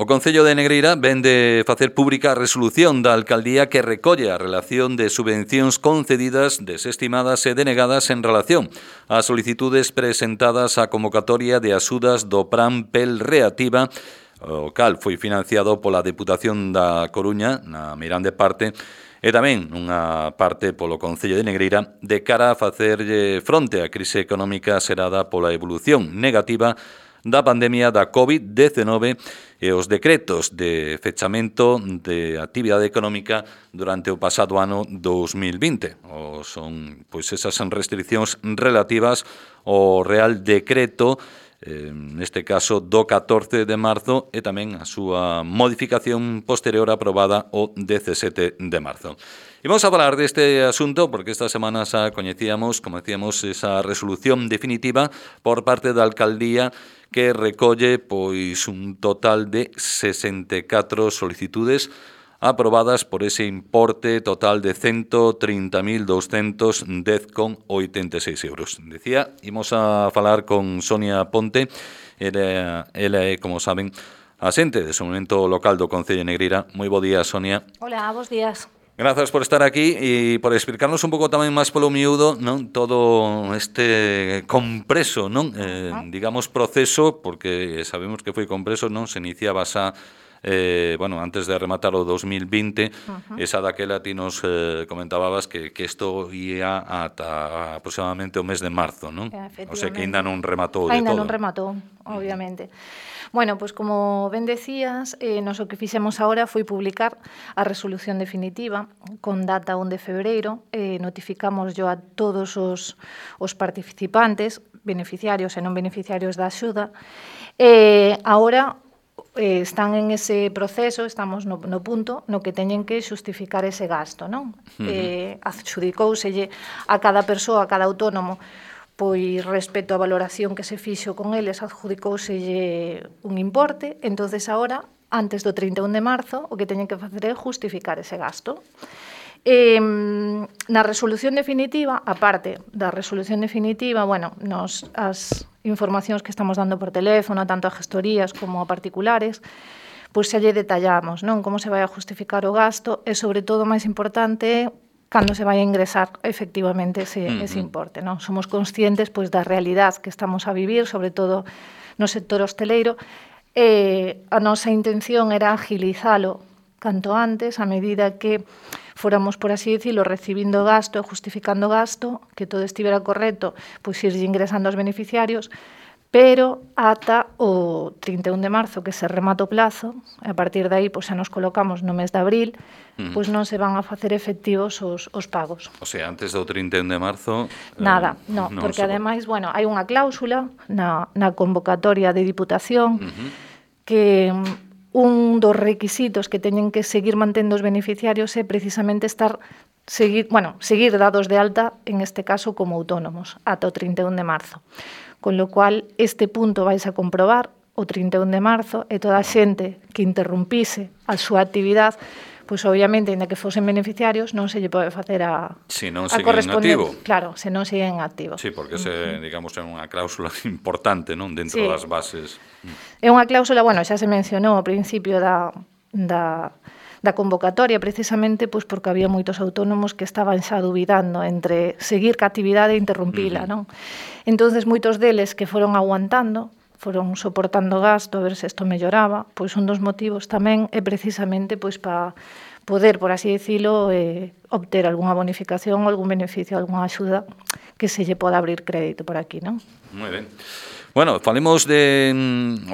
O Concello de Negreira ven de facer pública a resolución da Alcaldía que recolle a relación de subvencións concedidas, desestimadas e denegadas en relación ás solicitudes presentadas á convocatoria de axudas do Plan PEL Reactiva, o cal foi financiado pola Deputación da Coruña, na Meirande Parte, e tamén unha parte polo Concello de Negreira de cara a facerlle fronte á crise económica xerada pola evolución negativa da pandemia da COVID-19 e os decretos de fechamento de actividade económica durante o pasado ano 2020. Son esas restriccións relativas ao Real Decreto, neste caso do 14 de marzo, e tamén a súa modificación posterior aprobada o 17 de marzo. E vamos a falar deste asunto porque esta semana xa coñecíamos, como decíamos, esa resolución definitiva por parte da Alcaldía que recolle un total de 64 solicitudes aprobadas por ese importe total de 130.210,86 euros. Decía, imos a falar con Sonia Ponte, ela é, como saben, asente de Desenvolvemento Local do Concello de Negreira. Moi bo día, Sonia. Hola, bos días. Grazas por estar aquí e por explicarnos un pouco tamén máis polo miúdo, non, todo este compreso, non, digamos, proceso, porque sabemos que foi compreso, non, se iniciaba xa antes de rematar o 2020, esa daquela ti nos comentabas que isto ia ata aproximadamente o mes de marzo, non? O sea que ainda non rematou de todo. Ainda non rematou, obviamente. Bueno, pois como ben decías, nos o que fixemos agora foi publicar a resolución definitiva con data 1 de febreiro, notificamos a todos os participantes, beneficiarios e non beneficiarios da axuda, agora están en ese proceso, estamos no punto no que teñen que xustificar ese gasto, non? Adxudicouselle a cada persoa, a cada autónomo, pois respecto á valoración que se fixo con eles, adjudicouselle un importe, entonces agora, antes do 31 de marzo, o que teñen que facer é justificar ese gasto. Na resolución definitiva, aparte da resolución definitiva, as informacións que estamos dando por teléfono, tanto a gestorías como a particulares, pois xa lle detallamos, non, como se vai a justificar o gasto e, sobre todo, máis importante, cando se vai a ingresar efectivamente ese importe, non? Somos conscientes pois da realidade que estamos a vivir, sobre todo no sector hosteleiro, e a nosa intención era agilizalo canto antes, a medida que fóramos, por así decirlo, recibindo gasto e justificando gasto, que todo estivera correcto, pois irlle ingresando aos beneficiarios, pero ata o 31 de marzo, que se remata o plazo, e a partir de aí xa nos colocamos no mes de abril, pois non se van a facer efectivos os pagos. O sea, antes do 31 de marzo... Nada, non, porque ademais, hai unha cláusula na convocatoria de Diputación que un dos requisitos que teñen que seguir mantendo os beneficiarios é precisamente seguir dados de alta, en este caso como autónomos, ata o 31 de marzo. Con lo cual, este punto vais a comprobar o 31 de marzo e toda a xente que interrumpise a súa actividade, pois obviamente, ainda que fosen beneficiarios, non se lle pode facer a correspondente. Activo. Claro, se non siguen activo. Sí, porque digamos, é unha cláusula importante, non, dentro das bases. É unha cláusula, xa se mencionou ao principio da convocatoria, precisamente pois porque había moitos autónomos que estaban xa dubidando entre seguir ca actividade e interrumpila, non? Entonces, moitos deles que foron aguantando, foron soportando gasto a ver se isto melloraba, pois un dos motivos tamén é precisamente pois para poder, por así decirlo, obter algunha bonificación, algún beneficio, algunha axuda que se lle poda abrir crédito por aquí, non? Moi ben. Bueno, falemos de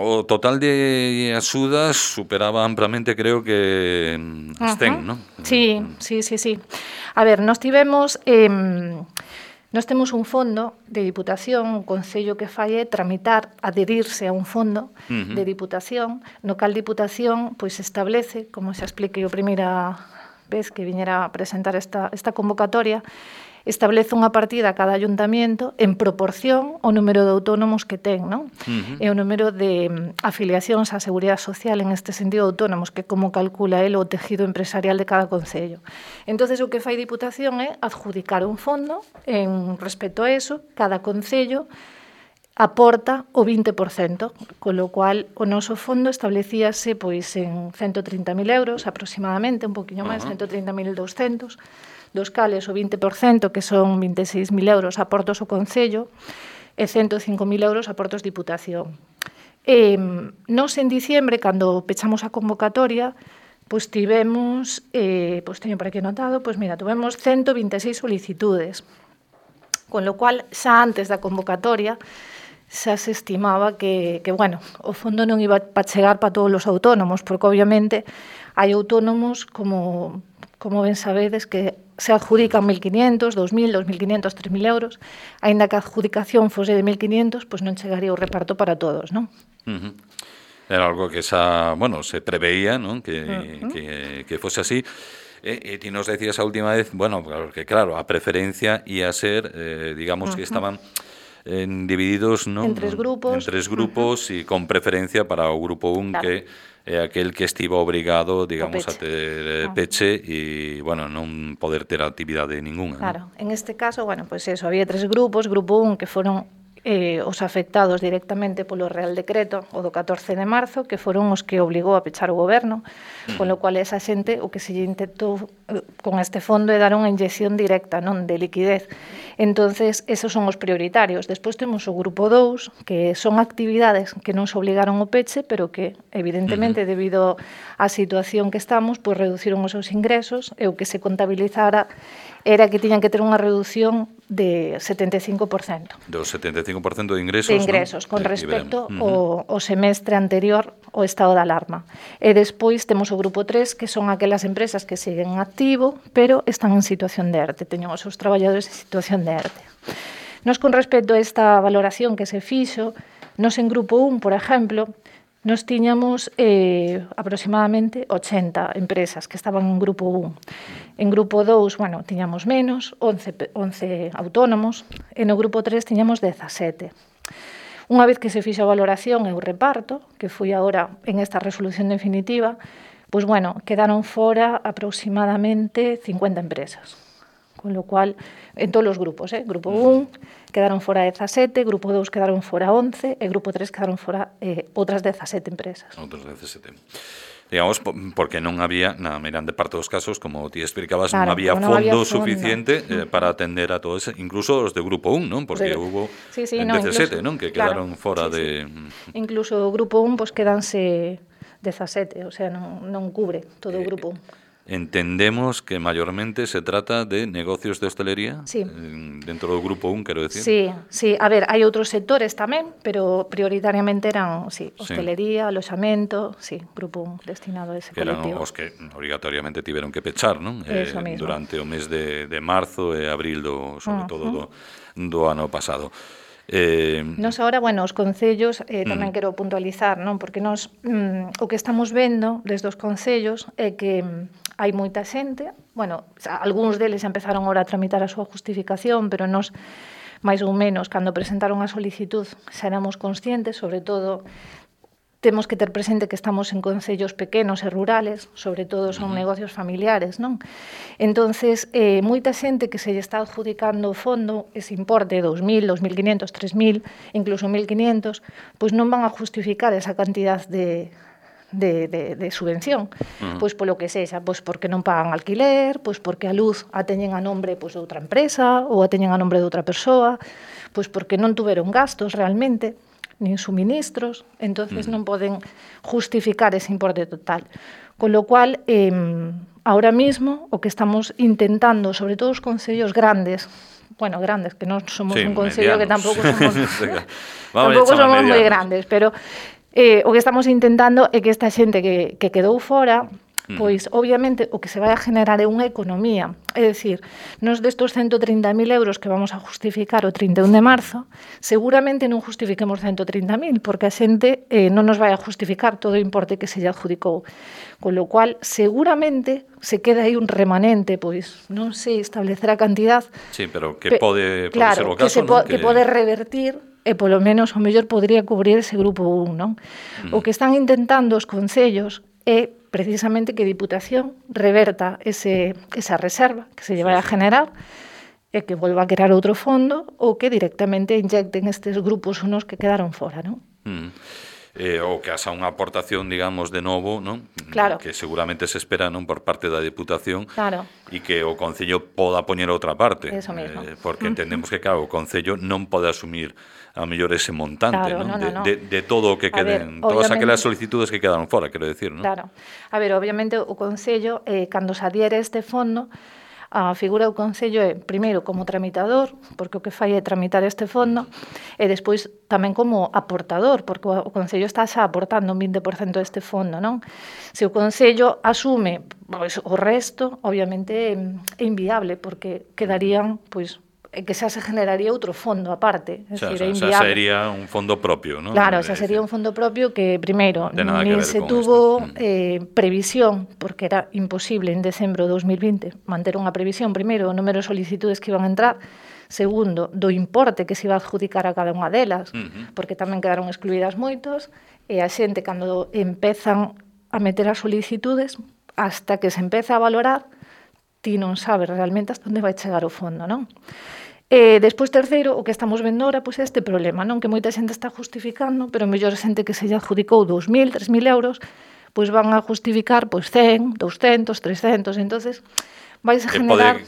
o total de axudas superaba amplamente, creo que as 100, non? Sí. A ver, nós tivemos... Nós temos un fondo de Diputación, un concello que fai é tramitar, adherirse a un fondo de Diputación, no cal Diputación pois establece, como xa expliquei a primeira vez que viñera a presentar esta convocatoria, establece unha partida a cada ayuntamiento en proporción ao número de autónomos que ten, non? E o número de afiliacións á Seguridade Social en este sentido autónomos, que como calcula el o tejido empresarial de cada concello. Entonces, o que fai Diputación é adjudicar un fondo en respecto a eso, cada concello aporta o 20%, con lo cual o noso fondo establecíase pois en 130.000 euros aproximadamente, un poquinho máis, 130.200, dos cales o 20%, que son 26.000 euros, aportos o Concello, e 105.000 euros aportos Diputación. Nos en diciembre, cando pechamos a convocatoria, pois tivemos, pois teño por aquí anotado, pois mira, tivemos 126 solicitudes, con lo cual xa antes da convocatoria xa se estimaba que bueno, o fondo non iba a chegar para todos os autónomos, porque obviamente hai autónomos, como ben sabedes, que se adjudican 1.500, 2.000, 2.500, 3.000 euros, aínda que a adjudicación fose de 1.500, pois non chegaría o reparto para todos, non? Era algo que xa, bueno, se preveía, non? Que fose así. E ti nos decías a última vez, bueno, porque claro, a preferencia ia ser, digamos que estaban divididos, non? En tres grupos e con preferencia para o grupo 1, claro, que é aquel que estivo obrigado, digamos, a ter peche e, bueno, non poder ter actividade ninguna. Claro, en este caso, bueno, pois eso, había tres grupos, grupo 1 que foron os afectados directamente polo Real Decreto, o do 14 de marzo, que foron os que obligou a pechar o goberno, con lo cual esa xente o que se lle intentou con este fondo é dar unha inyección directa, non, de liquidez. Entonces, esos son os prioritarios. Despois temos o grupo 2, que son actividades que non se obligaron ao peche, pero que, evidentemente, debido á situación que estamos, pois reduciron os seus ingresos, e o que se contabilizara era que tiñan que ter unha reducción de 75%. Do 75% de ingresos, de ingresos, ¿no? Con respecto ao semestre anterior ao estado de alarma. E despois temos o grupo 3, que son aquelas empresas que siguen activo, pero están en situación de ERTE, teñen os seus traballadores en situación de ERTE. Nos, con respecto a esta valoración que se fixo, nos en grupo 1, por exemplo, nos tiñamos aproximadamente 80 empresas que estaban en grupo 1. En grupo 2, bueno, tiñamos menos, 11 autónomos, e no grupo 3 tiñamos 17. Unha vez que se fixo a valoración e o reparto, que foi agora en esta resolución definitiva, pois, bueno, quedaron fora aproximadamente 50 empresas. Con lo cual, en todos os grupos, grupo 1 quedaron fora 17, grupo 2 quedaron fora 11 e grupo 3 quedaron fora outras 17 empresas. Outras 17. Digamos, porque non había, na grande parte dos casos, como ti explicabas, claro, non había fondo suficiente para atender a todos, incluso os de grupo 1, non? Porque hubo 17, non? Que quedaron fora de... Incluso o grupo 1, pois quedanse 17, o sea, non cubre todo o grupo 1. Entendemos que mayormente se trata de negocios de hostelería, sí, dentro do grupo 1, quero decir. Sí, a ver, hai outros sectores tamén, pero prioritariamente eran, sí, hostelería, aloxamento, sí, grupo 1 destinado a ese colectivo. Que eran os que obrigatoriamente tiveron que pechar, non? Durante o mes de marzo e abril, sobre todo do ano pasado. Nos agora, bueno, os concellos tamén quero puntualizar, non? Porque nos o que estamos vendo desde os concellos é que hai moita xente, bueno, algúns deles empezaron agora a tramitar a súa justificación, pero nos, máis ou menos, cando presentaron a solicitud, xa éramos conscientes, sobre todo, temos que ter presente que estamos en concellos pequenos e rurales, sobre todo son negocios familiares, non? Entonces, moita xente que se lle está adjudicando o fondo, ese importe, 2.000, 2.500, 3.000, incluso 1.500, pois non van a justificar esa cantidad de subvención, pois polo que sexa, pois porque non pagan alquiler, pois porque a luz a teñen a nombre pois de outra empresa ou a teñen a nombre de outra persoa, pois porque non tuveron gastos realmente, nin suministros, entonces non poden justificar ese importe total. Con lo cual, ahora mismo, o que estamos intentando, sobre todo os concellos grandes, bueno, grandes, que non somos un concello que tampouco somos tampouco somos moi grandes, pero o que estamos intentando é que esta xente que quedou fora, pois, obviamente, o que se vai a generar é unha economía. É dicir, nos destos 130.000 euros que vamos a justificar o 31 de marzo, seguramente non justifiquemos 130.000, porque a xente non nos vai a justificar todo o importe que se lle adjudicou. Con lo cual, seguramente, se queda aí un remanente, pois, non sei establecer a cantidad. Sí, pero que pode ser o caso, non? Que pode revertir e polo menos o mellor podría cubrir ese grupo 1, non? O que están intentando os concellos é precisamente que Diputación reverta esa reserva que se lle vai a generar e que volva a crear outro fondo ou que directamente inyecten estes grupos unos que quedaron fora, non? Ou que haxa unha aportación, digamos, de novo, non? Claro. Que seguramente se espera, non, por parte da Deputación, claro, e que o Concello poda poñer outra parte, Eso mismo. Porque entendemos que, claro, o Concello non pode asumir a mellor ese montante, Claro, non? no. De todo o que queden, todas aquelas solicitudes que quedaron fora, quero decir, non? Claro. A ver, obviamente o Concello, cando se adhiere este fondo, a figura do Concello é, primeiro, como tramitador, porque o que fai é tramitar este fondo, e despois tamén como aportador, porque o Concello está xa aportando un 20% deste fondo, non? Se o Concello asume pois, o resto, obviamente é inviable, porque quedarían, pois, que xa se generaría outro fondo aparte. Xa sería un fondo propio, non? Claro, xa sería un fondo propio que, primeiro, nin se tuvo previsión, porque era imposible en decembro de 2020 manter unha previsión, primeiro, o número de solicitudes que iban a entrar, segundo, do importe que se iba a adjudicar a cada unha delas, porque tamén quedaron excluídas moitos, e a xente, cando empezan a meter as solicitudes, hasta que se empeza a valorar, ti non sabes realmente hasta onde vai chegar o fondo, non? Despois, terceiro, o que estamos vendo ahora pois, é este problema, non? Que moita xente está justificando, pero mellor xente que se lle adjudicou 2.000, 3.000 euros, pois van a justificar pois 100, 200, 300, entonces vais a generar,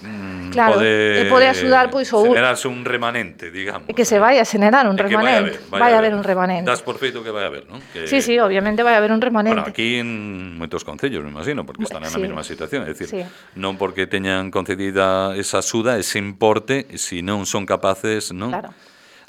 pode axudar pois o generarse un remanente, digamos. Que se vai a generar un remanente, vai a haber un remanente. Das por feito que vai a haber, non? Sí, obviamente vai a haber un remanente. Bueno, aquí en moitos concellos, me imagino, porque están na mesma situación, é dicir, non porque teñan concedida esa axuda, ese importe, se non son capaces, non? Claro.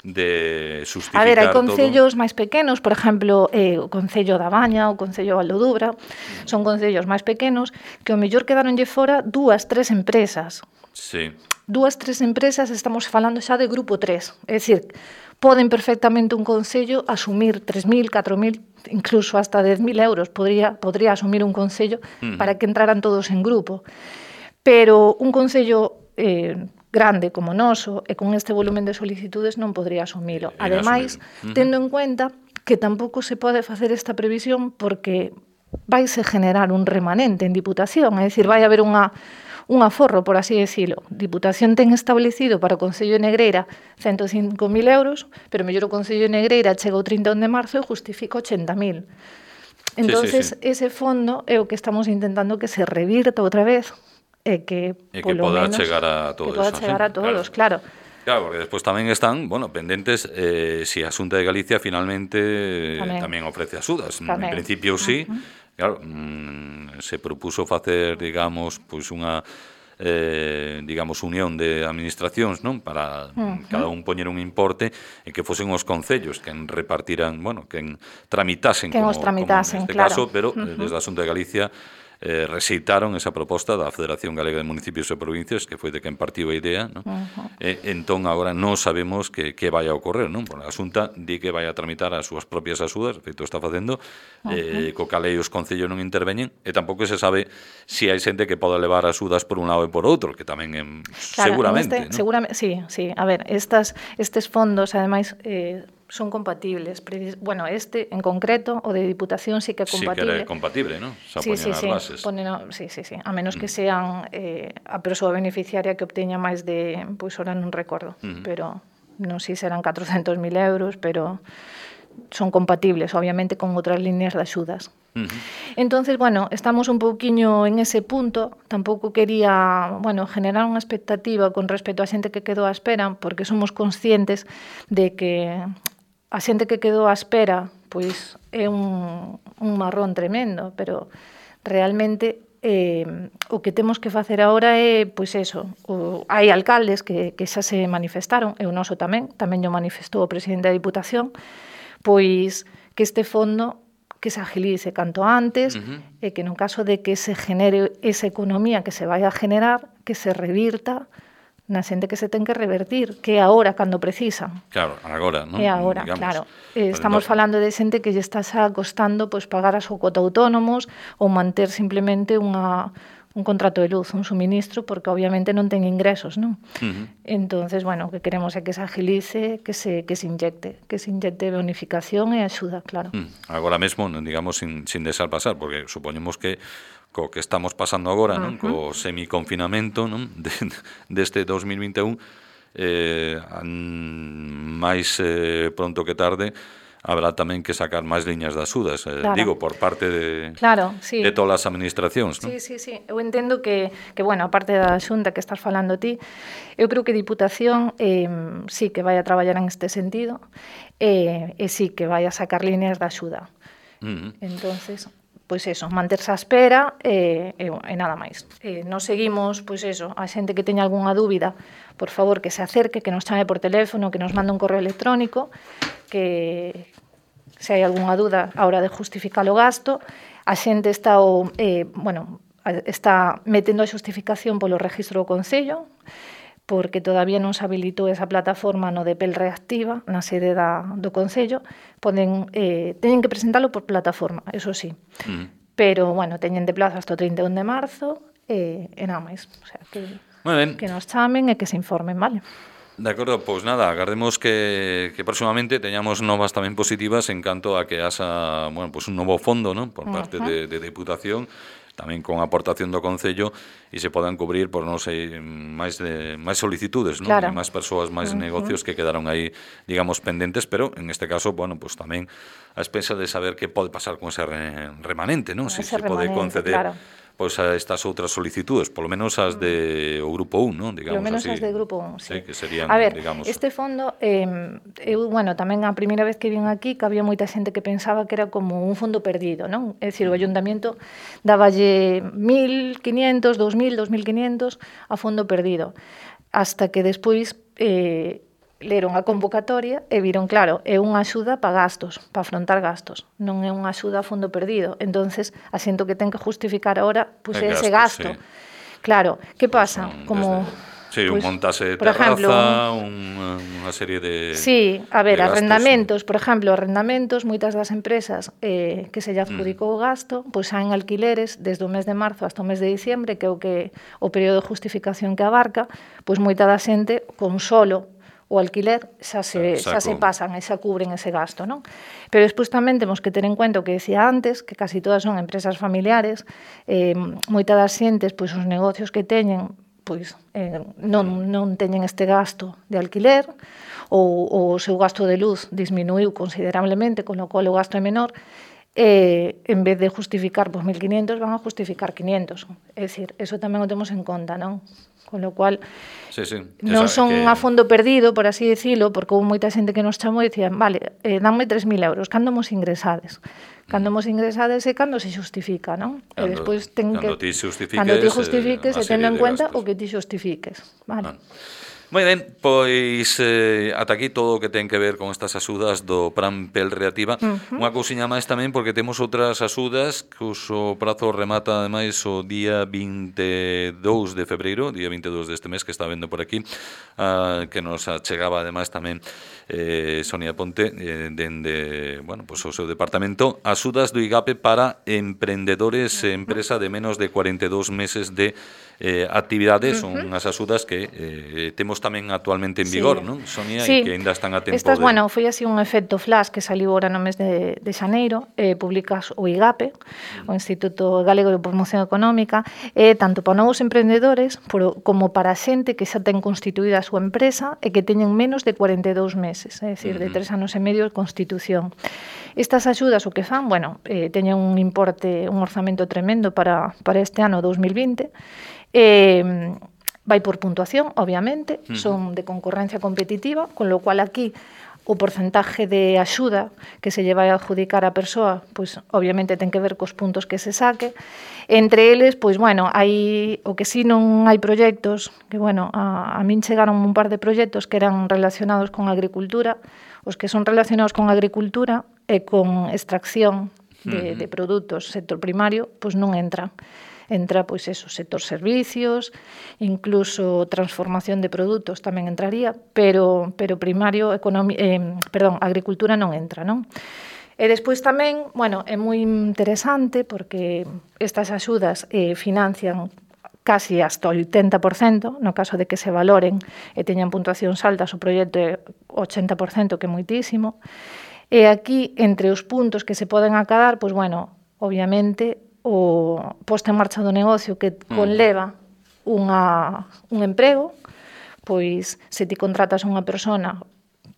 De justificar todo. A ver, hai concellos máis pequenos, por exemplo, o Concello da Baña, o Concello de Valdodubra, son concellos máis pequenos que ao mellor quedaronlle fora 2, 3 empresas. Sí. 2, 3 empresas, estamos falando xa de grupo 3, é dicir, poden perfectamente un concello asumir 3.000, 4.000, incluso hasta 10.000 euros podría asumir un concello para que entraran todos en grupo. Pero un concello grande como noso e con este volumen de solicitudes non podría asumilo. Ademais, tendo en cuenta que tampouco se pode facer esta previsión porque vaise generar un remanente en Diputación, é dicir, vai haber un aforro, por así decirlo. Diputación ten establecido para o Concello de Negreira 105.000 euros, pero mellor o Concello de Negreira chega o 31 de marzo e justifica 80.000. Entonces, ese fondo é o que estamos intentando que se revirta outra vez e que poda chegar a todos. Que poda chegar a todos, claro. Claro, porque despois tamén están, pendentes se a Xunta de Galicia finalmente tamén ofrece axudas. En principio sí, claro, se propuso facer, digamos, pois unha unión de administracións, non? Para cada un poñer un importe e que fosen os concellos quen repartiran, quen tramitasen como neste caso, pero desde a Xunta de Galicia rexeitaron esa proposta da Federación Galega de Municipios e Provincias, que foi de quen partiu a idea, non? Entón, agora non sabemos que vai a ocorrer, non? Porque a Xunta di que vai a tramitar as súas propias axudas, feito está facendo, co cal os concellos non interveñen, e tampouco se sabe se hai xente que poda levar axudas por un lado e por outro, que tamén seguramente, non? Seguramente, sí. A ver, estes fondos, ademais, son compatibles. Bueno, en concreto, o de Diputación sí que é compatible. Sí que era compatible, non? Xa poñen as bases. Sí. A menos que sean a persoa beneficiaria que obteña máis de, pois ahora non recordo, pero non sei se serán 400.000 euros, pero son compatibles, obviamente, con outras líneas de axudas. Entonces, estamos un pouquiño en ese punto. Tampouco quería, generar unha expectativa con respecto a xente que quedou á espera, porque somos conscientes de que a xente que quedou á espera pois é un marrón tremendo, pero realmente o que temos que facer agora é, pois eso, hai alcaldes que xa se manifestaron, e o noso tamén o manifestou o presidente da Diputación, pois que este fondo que se agilice canto antes e que no caso de que se genere esa economía que se vai a generar, que se revirta na xente que se ten que revertir, que é agora cando precisan. Claro, agora, non? É agora, claro. Estamos falando de xente que lle está xa costando pois pagar a súa cuota autónomos ou manter simplemente unha un contrato de luz, un suministro, porque obviamente non ten ingresos, non? Entonces, bueno, o que queremos é que se agilice, que se inyecte bonificación e axuda, claro. Agora mesmo, digamos, sin deixar pasar, porque supoñemos que co que estamos pasando agora, non? Co semiconfinamento, non? Deste 2021, máis pronto que tarde habrá tamén que sacar máis liñas de axudas, digo, por parte de todas as administracións, non? Sí. Eu entendo que, bueno, a parte da Xunta que estás falando ti, eu creo que Diputación sí que vai a traballar en este sentido e sí que vai a sacar líneas de axuda. Entonces, pois eso, manterse á espera e nada máis. Nos seguimos, pois eso, a xente que teña algunha dúbida, por favor, que se acerque, que nos chame por teléfono, que nos mande un correo electrónico, que se hai algunha dúda a hora de justificar o gasto, a xente está metendo a xustificación polo registro do Concello, porque todavía non se habilitou esa plataforma no de Pel Reactiva, na sede do Concello, teñen que presentalo por plataforma, eso sí. Pero, bueno, teñen de plazo hasta o 31 de marzo e nada máis. O sea, que nos chamen e que se informen, vale? De acordo, pois nada, agardemos que próximamente teñamos novas tamén positivas en canto a que haxa, bueno, pois un novo fondo, non? Por parte de Deputación, tamén con aportación do Concello, e se podan cubrir, por non sei, máis solicitudes, non? Claro. E máis persoas, máis negocios que quedaron aí, digamos, pendentes, pero en este caso, bueno, pues tamén a expensa de saber que pode pasar con ese remanente, non? Se pode conceder, claro, pois a estas outras solicitudes, polo menos as de o Grupo 1, non? Digamos, polo menos así, as de Grupo 1, sí. Que serían, a ver, digamos... este fondo, eu, bueno, tamén a primeira vez que vin aquí, que había moita xente que pensaba que era como un fondo perdido, non? É dicir, o Ayuntamiento dáballe 1.500, 2.000, 2.500 a fondo perdido, hasta que despois leron a convocatoria e viron, claro, é unha axuda para gastos, para afrontar gastos, non é unha axuda a fondo perdido. Entonces, asiento que ten que justificar ahora, pois ese gasto. Sí. Claro, que pasa? Como... Sí, un montase de terraza, unha serie de... Sí, a ver, arrendamentos, por exemplo, moitas das empresas que se lle adjudicou o gasto, pois saen alquileres desde o mes de marzo hasta o mes de diciembre, que é o período de justificación que abarca, pois moita da xente con solo o alquiler xa se pasan e xa cubren ese gasto, non? Pero despois tamén temos que ter en cuenta o que decía antes, que casi todas son empresas familiares, moita das xentes, pois os negocios que teñen, pois non teñen este gasto de alquiler, ou o seu gasto de luz disminuiu considerablemente, con lo cual o gasto é menor, en vez de justificar 1.500, van a justificar 500. É dicir, eso tamén o temos en conta, non? Con lo cual, non son a fondo perdido, por así decirlo, porque houve moita xente que nos chamou e dicían, vale, danme 3.000 euros, cando mos ingresades? Cando mos ingresades é cando se xustifica, non? E despois cando ti justifiques e tendo en cuenta o que ti xustifiques, vale? Moi ben, pois ata aquí todo o que ten que ver con estas axudas do Plan Pel Reactiva. Unha cousiña máis tamén, porque temos outras axudas cuso prazo remata ademais o día 22 de febreiro, día 22 deste mes que está vendo por aquí, que nos achegaba ademais tamén Sonia Ponte dende, bueno, pois o seu departamento, axudas do IGAPE para emprendedores e empresa de menos de 42 meses de actividades. Son unhas axudas que temos tamén actualmente en vigor, non, Sonia? E que ainda están a tempo estas, bueno, foi así un efecto flash que saliu agora no mes de xaneiro, publicas o IGAPE, o Instituto Galego de Promoción Económica, tanto para novos emprendedores como para xente que xa ten constituída a súa empresa e que teñen menos de 42 meses, é dicir, de 3 anos e medio de constitución. Estas axudas o que fan, bueno, teñen un importe, un orzamento tremendo para este ano 2020, vai por puntuación, obviamente, son de concurrencia competitiva, con lo cual aquí o porcentaje de axuda que se lle vai a adjudicar a persoa, pois obviamente ten que ver cos puntos que se saque. Entre eles, pois bueno, hai o que si non hai proxectos, que bueno, a min chegaron un par de proxectos que eran relacionados con agricultura, os que son relacionados con agricultura e con extracción de produtos, sector primario, pois non entran. Entra, pois, eso, sector servicios, incluso transformación de produtos tamén entraría, pero primario, agricultura non entra, non? E despois tamén, bueno, é moi interesante porque estas axudas financian casi hasta o 80%, no caso de que se valoren e teñan puntuacións altas, o proxecto é 80%, que é moitísimo. E aquí, entre os puntos que se poden acadar, pois, bueno, obviamente, o posto en marcha do negocio que conleva un emprego, pois, se ti contratas unha persona,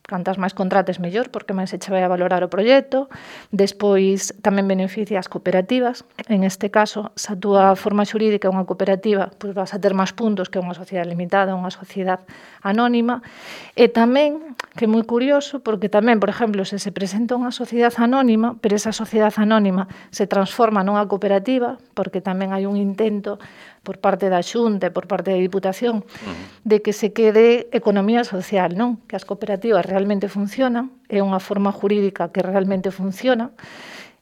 cantas máis contrates mellor, porque máis se che vai a valorar o proxecto. Despois tamén beneficia as cooperativas. En este caso, se a túa forma xurídica é unha cooperativa, pois vas a ter máis puntos que unha sociedade limitada, unha sociedade anónima. E tamén, que é moi curioso, porque tamén, por exemplo, se presenta unha sociedade anónima, pero esa sociedade anónima se transforma nunha cooperativa, porque tamén hai un intento por parte da Xunta e por parte da Diputación de que se quede economía social, non? Que as cooperativas realmente funcionan, é unha forma jurídica que realmente funciona.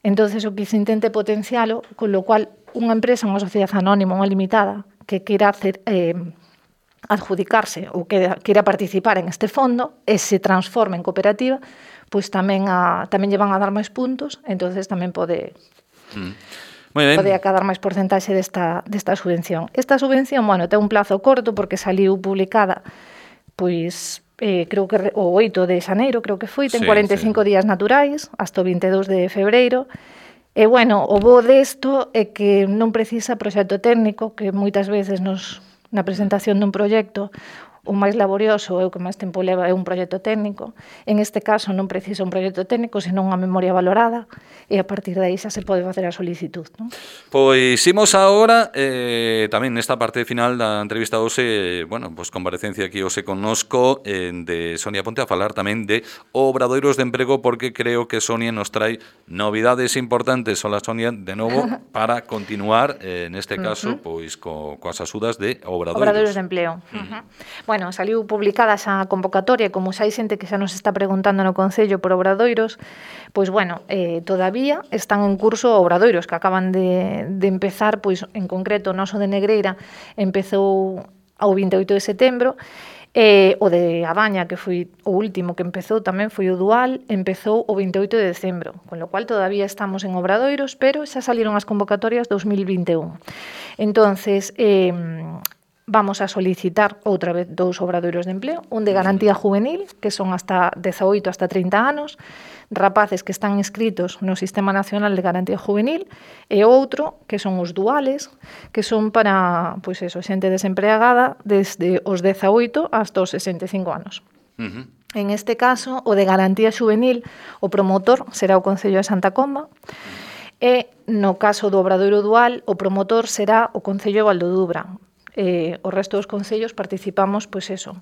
Entonces, o que se intente potencialo, con lo cual, unha empresa, unha sociedade anónima, unha limitada, que queira adjudicarse ou queira participar en este fondo e se transforma en cooperativa, pois tamén lle van a dar máis puntos, entonces tamén pode acadar máis porcentaxe desta subvención. Esta subvención, bueno, ten un plazo corto porque saliu publicada, pois, creo que o 8 de xaneiro, creo que foi, ten 45 días naturais, hasta o 22 de febreiro. E, bueno, o bo desto é que non precisa proxecto técnico, que moitas veces na presentación dun proxecto o máis laborioso é o que máis tempo leva é un proxecto técnico. En este caso non precisa un proxecto técnico, senón unha memoria valorada, e a partir de aí xa se pode facer a solicitud, non? Pois imos agora, tamén nesta parte final da entrevista hoxe, bueno, pois comparecencia aquí hoxe connosco de Sonia Ponte a falar tamén de obradoiros de emprego, porque creo que Sonia nos trae novidades importantes. Hola, Sonia, de novo, para continuar, neste caso, pois coas axudas de obradoiros de empleo. Bueno, saliu publicada xa a convocatoria, como xa hai xente que xa nos está preguntando no Concello por obradoiros, pois, bueno, todavía están en curso obradoiros que acaban de empezar, pois, en concreto, o noso de Negreira empezou ao 28 de setembro, o de A Baña, que foi o último que empezou, tamén foi o dual, empezou o 28 de decembro, con lo cual todavía estamos en obradoiros, pero xa saliron as convocatorias 2021. Entonces, vamos a solicitar outra vez 2 obradoiros de empleo, un de garantía juvenil, que son hasta 18 hasta 30 anos, rapaces que están inscritos no Sistema Nacional de Garantía Juvenil, e outro, que son os duales, que son para, pois eso, xente desempregada desde os 18 hasta os 65 anos. En este caso, o de garantía juvenil, o promotor será o Concello de Santa Comba, e no caso do obradoiro dual, o promotor será o Concello de Valdodubra. O resto dos concellos participamos, pois eso,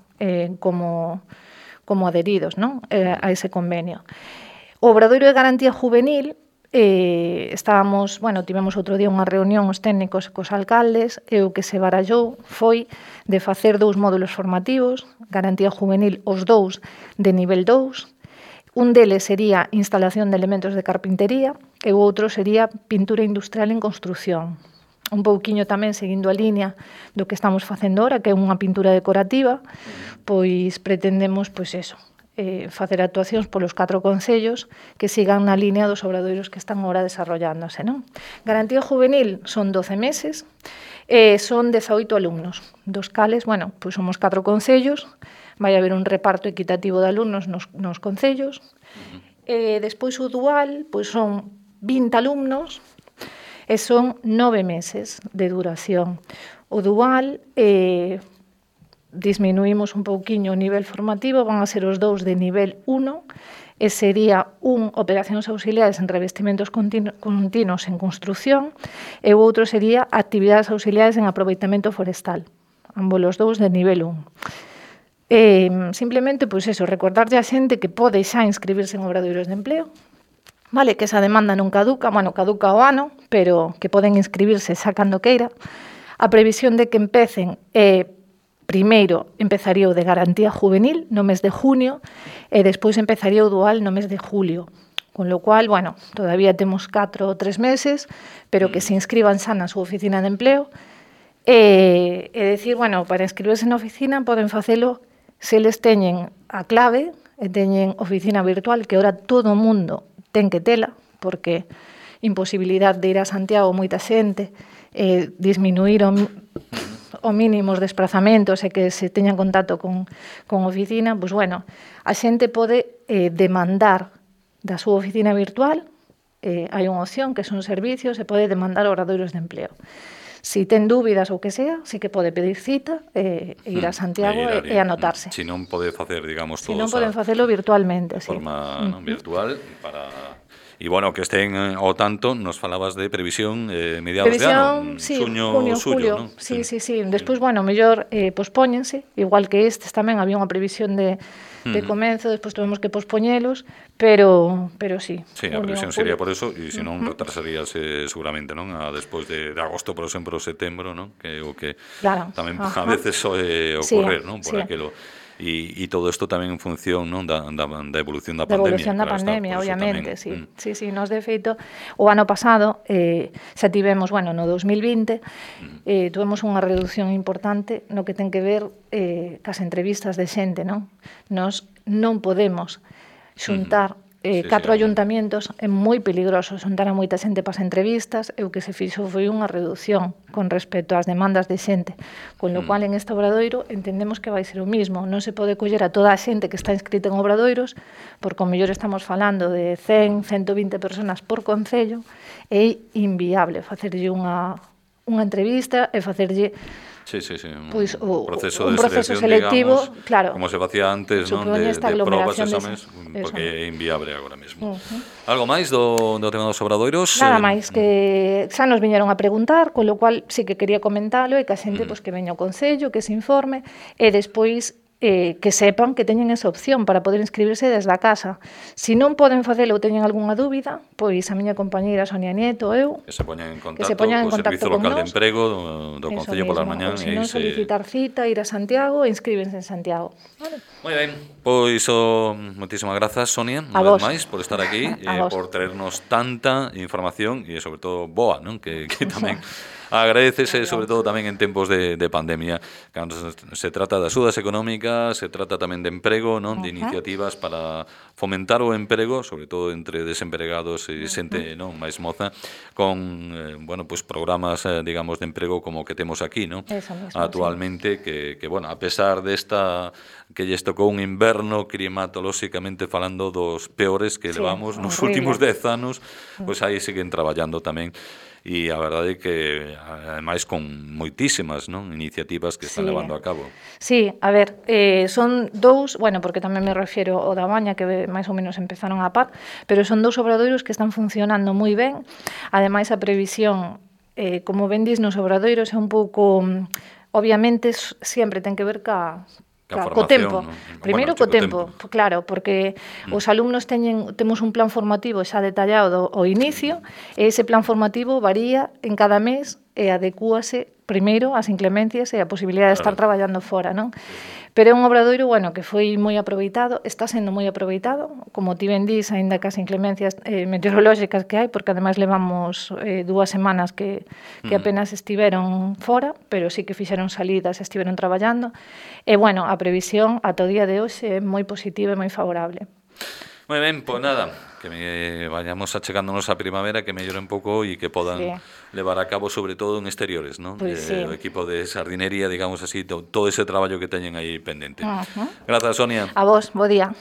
como adheridos, non? A ese convenio. O obradoiro de garantía juvenil, tivemos outro día unha reunión os técnicos cos alcaldes, e o que se barallou foi de facer 2 módulos formativos, garantía juvenil os 2 de nivel 2, un deles sería instalación de elementos de carpintería e o outro sería pintura industrial en construción. Un pouquiño tamén seguindo a línea do que estamos facendo ahora, que é unha pintura decorativa, pois pretendemos, pois eso, facer actuacións polos 4 concellos que sigan na línea dos obradoiros que están ahora desarrollándose, non? Garantía juvenil son 12 meses, son 18 alumnos, dos cales, bueno, pois somos 4 concellos, vai haber un reparto equitativo de alumnos nos concellos, despois o dual, pois son 20 alumnos, e son 9 meses de duración. O dual, disminuímos un pouquiño o nivel formativo, van a ser os 2 de nivel 1, e sería un operacións auxiliares en revestimentos continuos en construción, e o outro sería actividades auxiliares en aproveitamento forestal, ambos os 2 de nivel 1. Simplemente, pois eso, recordarlle a xente que pode xa inscribirse en obradoiros de empleo, vale, que esa demanda non caduca, caduca o ano, pero que poden inscribirse xa cando queira. A previsión de que empecen primeiro empezaría o de garantía juvenil no mes de junio e despois empezaría o dual no mes de julio. Con lo cual, bueno, todavía temos 4 ou 3 meses, pero que se inscriban xa na súa oficina de empleo e decir, bueno, para inscribirse na oficina poden facelo se eles teñen a clave e teñen oficina virtual, que ahora todo o mundo ten que tela, porque imposibilidade de ir a Santiago moita xente, disminuíron o mínimo os desplazamentos e que se teñan contacto con oficina, pois, bueno, a xente pode demandar da súa oficina virtual, hai unha opción que son servicios, e pode demandar obradoiros de empleo. Si ten dúbidas ou que sea, sí que pode pedir cita e ir a Santiago e anotarse. Si non pode facer, digamos, si non poden facelo virtualmente, de forma virtual para... E, bueno, que estén ao tanto, nos falabas de previsión mediados de ano, sí, xuño, junio, xullo, julio, non? sí. Despois, bueno, mellor pospóñense, igual que estes tamén había unha previsión de comenzo, despois tuvemos que pospoñelos, pero sí. Sí, a previsión sería por eso, e se non retrasaríase seguramente, non? Despois de agosto, por exemplo, setembro, non? Que o que tamén a veces soe ocorrer, non? Por aquilo. E todo isto tamén en función, non, da evolución da pandemia. Da evolución da pandemia, obviamente, sí. Sí, nos de feito, o ano pasado xa tivemos, bueno, no 2020, tuvemos unha reducción importante no que ten que ver cas entrevistas de xente, non? Nos non podemos xuntar 4 ayuntamientos, é moi peligroso xuntar a moita xente para as entrevistas, e o que se fixo foi unha reducción con respecto ás demandas de xente, con lo cual en este obradoiro entendemos que vai ser o mismo, non se pode coller a toda a xente que está inscrita en obradoiros, porque o mellor estamos falando de 100, 120 personas por concello, e é inviable facerlle unha entrevista e facerlle pois, un proceso selectivo, digamos, claro, como se facía antes, non, de probas e exames, porque é inviable agora mesmo. Algo máis do tema dos obradoiros? Nada máis, que xa nos viñeron a preguntar, con lo cual sí que quería comentalo, e que a xente pois, que veña ao Concello, que se informe, e despois que sepan que teñen esa opción para poder inscribirse desde a casa. Se non poden facelo ou teñen algunha dúbida, pois a miña compañeira Sonia Nieto, eu, que se poñan en contacto co Servizo Local de Emprego do Concello polas mañás. Se non solicitar cita, ir a Santiago e inscríbense en Santiago. Vale. Moi ben, pois moitísimas grazas, Sonia, unha vez máis, por estar aquí, por traernos tanta información e, sobre todo, boa, non? Que tamén agradecese, sobre todo tamén en tempos de pandemia, cando se trata de axudas económicas, se trata tamén de emprego, non, de iniciativas para fomentar o emprego, sobre todo entre desempregados e xente, non, máis moza, con, bueno, pues programas, digamos, de emprego como o que temos aquí, non? Actualmente, que, bueno, a pesar desta que lles tocou un inverno climatolóxicamente falando dos peores que levamos nos últimos 10 anos, pois aí siguen traballando tamén. E a verdade é que, ademais, con moitísimas, non, iniciativas que están levando a cabo. Sí, a ver, son dous, bueno, porque tamén me refiero ao da Baña, que máis ou menos empezaron a par, pero son dous obradoiros que están funcionando moi ben. Ademais, a previsión, como ben dis nos obradoiros, é un pouco, obviamente, sempre ten que ver co tempo. Primeiro co tempo, claro, porque os alumnos temos un plan formativo xa detallado ao inicio, e ese plan formativo varía en cada mes e adecúase primeiro ás inclemencias e a posibilidade de estar traballando fora, non? Pero é un obradoiro, bueno, que foi moi aproveitado, está sendo moi aproveitado, como ti ben dís, aínda que as inclemencias meteorolóxicas que hai, porque ademais levamos 2 semanas que apenas estiveron fora, pero sí que fixeron salidas e estiveron traballando, e, bueno, a previsión ata o día de hoxe é moi positiva e moi favorable. Moi ben, pois nada, que vayamos achegándonos a primavera, que mellore un pouco e que podan levar a cabo, sobre todo en exteriores, non? O equipo de sardinería, digamos así, todo ese traballo que teñen aí pendente. Grazas, Sonia. A vos, bo día.